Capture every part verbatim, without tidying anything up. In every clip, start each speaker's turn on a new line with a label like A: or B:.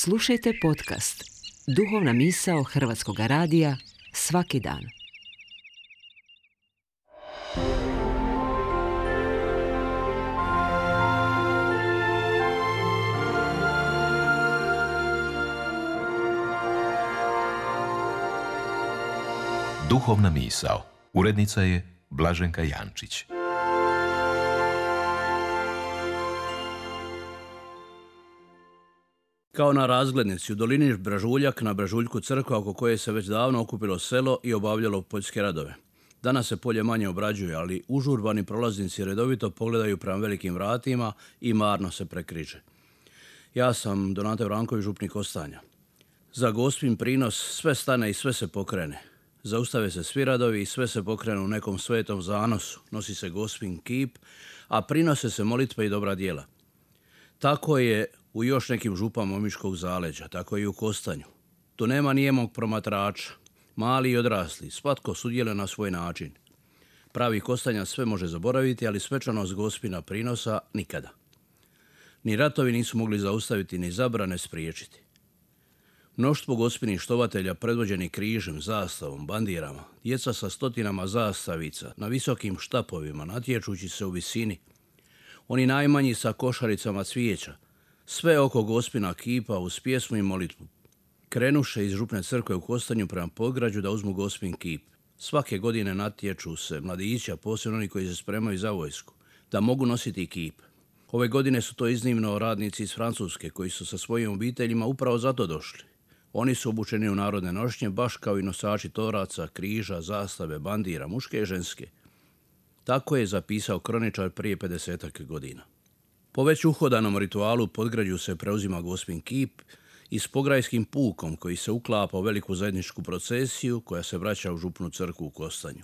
A: Slušajte podcast Duhovna misao Hrvatskog radija svaki dan.
B: Duhovna misao. Urednica je Blaženka Jančić.
C: Kao na razglednici u dolini Brežuljak, na Brežuljku crkva oko koje se već davno okupilo selo i obavljalo poljske radove. Danas se polje manje obrađuje, ali užurbani prolaznici redovito pogledaju prema velikim vratima i marno se prekriže. Ja sam Donate Vranković, župnik Ostanja. Za Gospin prinos sve stane i sve se pokrene. Zaustave se svi radovi i sve se pokrene u nekom svetom zanosu. Nosi se Gospin kip, a prinose se molitve i dobra djela. Tako je u još nekim župama Omiškog zaleđa, tako i u Kostanju. Tu nema nijemog promatrača, mali i odrasli, svatko sudjeluje na svoj način. Pravi Kostanja sve može zaboraviti, ali svečanost Gospina prinosa nikada. Ni ratovi nisu mogli zaustaviti, ni zabrane spriječiti. Mnoštvo Gospinih štovatelja predvođeni križem, zastavom, bandirama, djeca sa stotinama zastavica, na visokim štapovima, natječući se u visini, oni najmanji sa košaricama cvijeća, sve oko Gospina kipa uz pjesmu i molitvu. Krenuše iz župne crkve u Kostanju prema podgrađu da uzmu Gospin kip. Svake godine natječu se mladića, posebno oni koji se spremaju za vojsku, da mogu nositi kip. Ove godine su to iznimno radnici iz Francuske koji su sa svojim obiteljima upravo zato došli. Oni su obučeni u narodne nošnje, baš kao i nosači toraca, križa, zastave, bandira, muške i ženske. Tako je zapisao kroničar prije pedesetak godina. Po već uhodanom ritualu podgrađu se preuzima Gospin kip i s pograjskim pukom koji se uklapa u veliku zajedničku procesiju koja se vraća u župnu crkvu u Kostanju.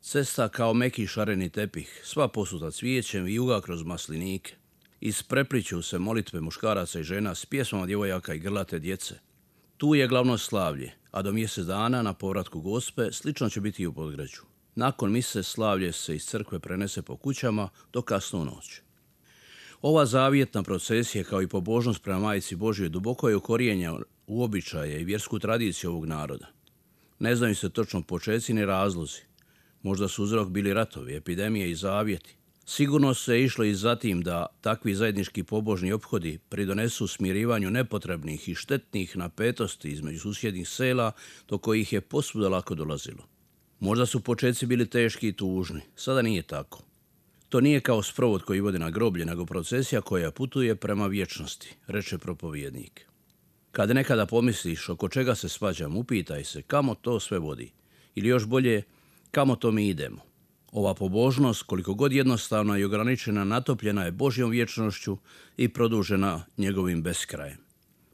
C: Cesta kao meki šareni tepih, sva posuta cvijećem i juga kroz maslinike. Isprepliću se molitve muškaraca i žena s pjesmama djevojaka i grlate djece. Tu je glavno slavlje, a do mjesec dana na povratku Gospe slično će biti i u podgrađu. Nakon mise slavlje se iz crkve prenese po kućama do kasnu noć. Ova zavjetna procesija kao i pobožnost prema Majici Božjoj duboko je ukorijenjena u običaje i vjersku tradiciju ovog naroda. Ne znaju se točno počeci ni razlozi. Možda su uzrok bili ratovi, epidemije i zavjeti. Sigurno se išlo i za tim da takvi zajednički pobožni ophodi pridonesu smirivanju nepotrebnih i štetnih napetosti između susjednih sela do kojih je posvuda lako dolazilo. Možda su počeci bili teški i tužni, sada nije tako. To nije kao sprovod koji vodi na groblje, nego procesija koja putuje prema vječnosti, reče propovjednik. Kad nekada pomisliš oko čega se svađam, upitaj se kamo to sve vodi. Ili još bolje, kamo to mi idemo. Ova pobožnost, koliko god jednostavna i ograničena, natopljena je Božjom vječnošću i produžena njegovim beskrajem.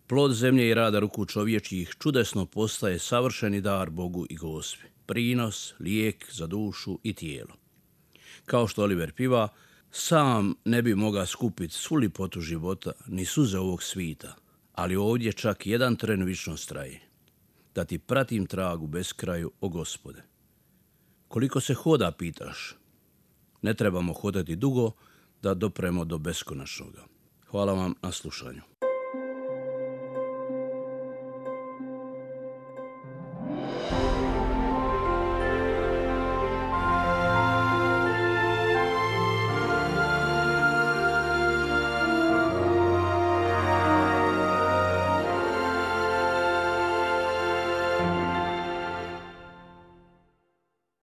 C: Plod zemlje i rada ruku čovječjih čudesno postaje savršeni dar Bogu i Gospi. Prinos, lijek za dušu i tijelo. Kao što Oliver piva, sam ne bi mogao skupiti svu lipotu života ni suze ovog svita, ali ovdje čak jedan tren vičnost traje. Da ti pratim tragu beskraju, o Gospode. Koliko se hoda, pitaš? Ne trebamo hodati dugo da dopremo do beskonačnoga. Hvala vam na slušanju.